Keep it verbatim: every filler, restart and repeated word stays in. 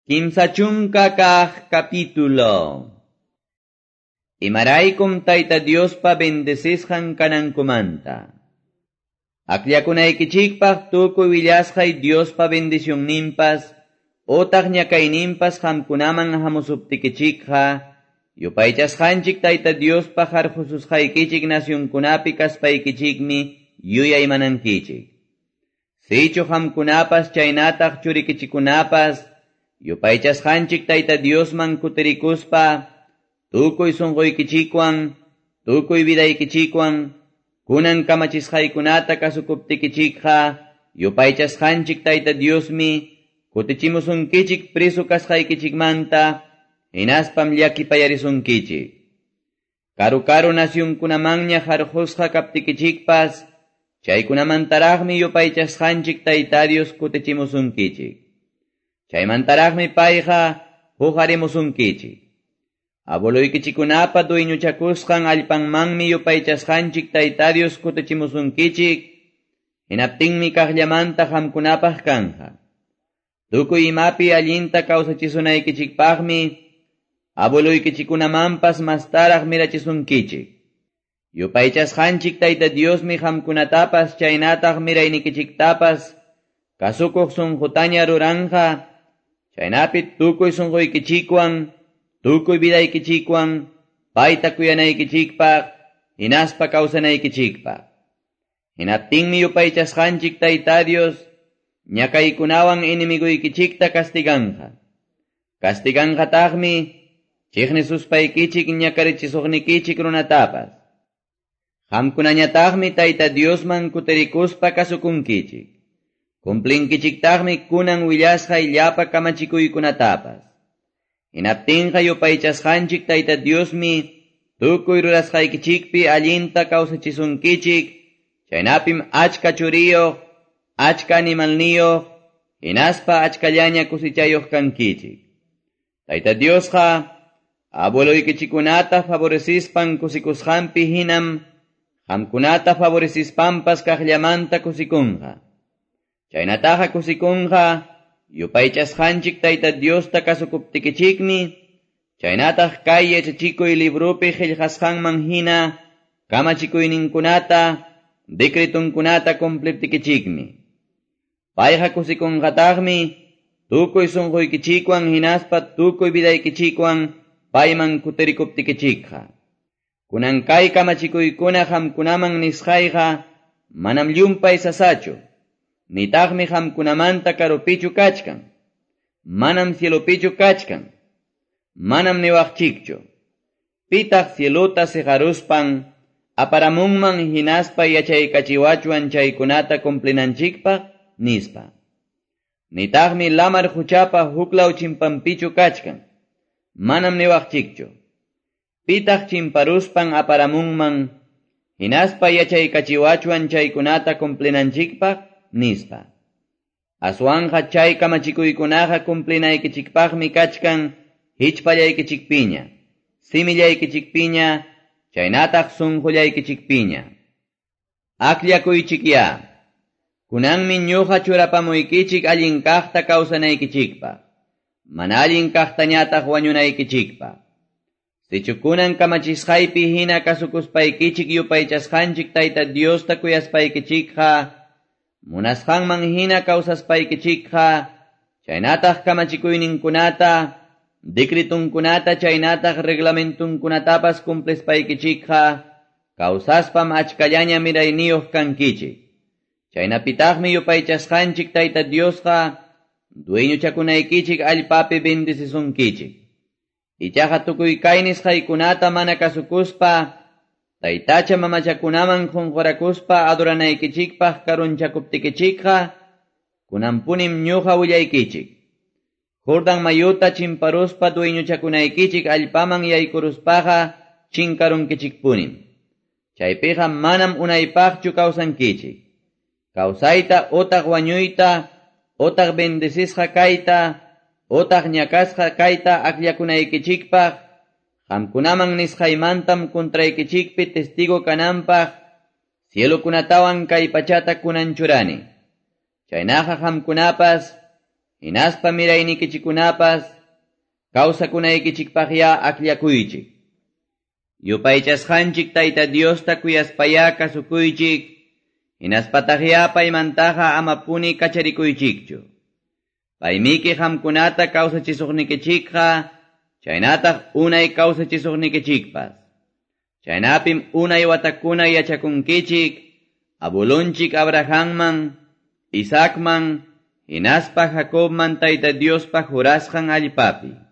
Kimsa chunka kaq capítulo. Imaraykum Tayta Diospa bendecisqan kanankumanta. Akllakunaykichikpaq tukuy willasqay Diospa bendicionninpas, otaq ñakayninpas qamkunaman hamusuptikichikqa, yupaychasqanchik Tayta Diospa harqususqaykichik nacionkunapi kaspaykichikmi yuyaymanankichik. Sichu qamkunapas chaynataq churikichikunapas, yupaychasqanchik Tayta Diosman kutirikuspa, tukuy sunquykichikwan, tukuy vidaykichikwan, kunan kamachisqaykunata kasukuptikichikqa, yupaychasqanchik Tayta Diosmi, kutichimusunkichik preso kasqaykichikmanta, hinaspam llakipayarisunkichik. Karu karu nacionkunamanña harqusqa kaptikichikpas, chaykunamantaraqmi yupaychasqanchik Tayta Dios kutichimusunkichik. Chaymantaraqmi payqa huqarimusunkichik. Abueluykichikunapa dueñochakusqan allpanmanmi yupaychasqanchik Tayta Dios kutichimusunkichik, hinaptinmi kaqllamanta qamkunapaq kanja. Tukuy imapi allinta kawsachisunaykichikpaqmi abueluykichikunamanpas mastaraq mirachisunkichik. Yupaychasqanchik Tayta Diosmi qamkunatapas chaynataq miraynikichiktapas kasukuq sunqutaña ruranja, chaynapi tukuy sunquykichikwan, tukuy vidaykichikwan, payta kuyanaykichikpaq, hinaspa kawsanaykichikpaq. Hinaptinmi yupaychasqanchik Tayta Dios, ñakaykunawan enemiguykichikta castiganja. Castiganjataqmi chiqnisuspaykichik ñakarichisuqnikichik runatapas. Qamkunañataqmi Tayta Diosman kutirikuspa kasukunkichik. Cumplinkichiktaqmi kunan willasqay llapa kamachikuykunatapas. Hinaptinqa yupaychasqanchik Tayta Diosmi tukuy rurasqaykichikpi allinta kawsachisunkichik, chaynapim achka churiyuq, achka animalniyuq, hinaspa achkallaña kusichayuq kankichik. Tayta Diosqa abueluykichikunata favorecispan kusikusqanpi hinam qamkunata favorecispanpas kaqllamanta kusikunqa. Chaynataqa kusikunqa yupaychasqanchik Tayta Diosta kasukuptikichikmi, chaynataq kay yachachikuy librupi qillqasqanman hina kamachikuyninkunata, decretunkunata cumpliptikichikmi. Payqa kusikunqataqmi tukuy sunquykichikwan hinaspa tukuy vidaykichikwan payman kutirikuptikichikqa. Kunan kay kamachikuykuna qamkunaman nisqayqa manam llumpay sasachu, nitaqmi qamkunamanta karupichu kachkan, manam cielopichu kachkan, manam niwaqchikchu. Pitaq cielota siqaruspan aparamunman hinaspa yachaykachiwachwan chaykunata cumplinanchikpaq nispa. Nitaqmi lamar huchapa huklaw chimpanpichu kachkan, manam niwaqchikchu. Pitaq chimparuspan aparamunman hinaspa yachaykachiwachwan chaykunata cumplinanchikpaq nispa. Aswanja chay kamachikuykunaqa cumplinaykichikpaqmi kachkan hichpallaykichikpiña, simillaykichikpiña, chaynataq sunqullaykichikpiña. Akllakuychikya. Kunanmi ñuqa churapamuykichik allin kaqta kawsanaykichikpaq, mana allin kaqtañataq wañunaykichikpaq. Sichu kunan kamachisqaypi hina kasukuspaykichik yupaychasqanchik Tayta Diosta kuyaspaykichikqa, munasqanman hina kawsaspaykichikqa, chaynataq kamachikuyninkunata, decretunkunata chaynataq reglamentunkunatapas cumplispaykichikqa, kawsaspam achkallaña mirayniyuq kankichik. Chaynapitaqmi yupaychasqanchik Tayta Diosqa dueñochakunaykichik allpapi bendecisunkichik. Ichaqa tukuy kay nisqaykunata mana kasukuspa, taytacha mamachakunaman qunqurakuspa adoranaykichikpaq karunchakuptikichikqa, kunanpunim ñuqa willaykichik. Jordan mayuta chimparuspa dueñochakunaykichik allpaman yaykuruspaqa chinkarunkichikpunim. Chaypiqa manam unaypaqchu kawsankichik. Kawsayta otaq wañuyta, otaq bendecisqa kayta, otaq ñakasqa kayta akllakunaykichikpaq, qamkunaman nisqaymantam contraykichikpi testigo kananpaq, cielokunatawan kay pachata kunan churani. Chaynaqa qamkunapas, hinaspa miraynikichikkunapas kawsakunaykichikpaqyá akllakuychik. Yupaychasqanchik Tayta Diosta kuyaspayá kasukuychik, hinaspataqyá paymantaqa amapuni kacharikuychikchu. Paymiki qamkunata kawsachisuqnikichikqa, chaynataq unay kawsachisuqnikichikpas. Chaynapim unay watakuna yachakunkichik, abuelonchik Abrahamman, Isaacman, hinaspa Jacobman Tayta Diospa jurasqan allpapi.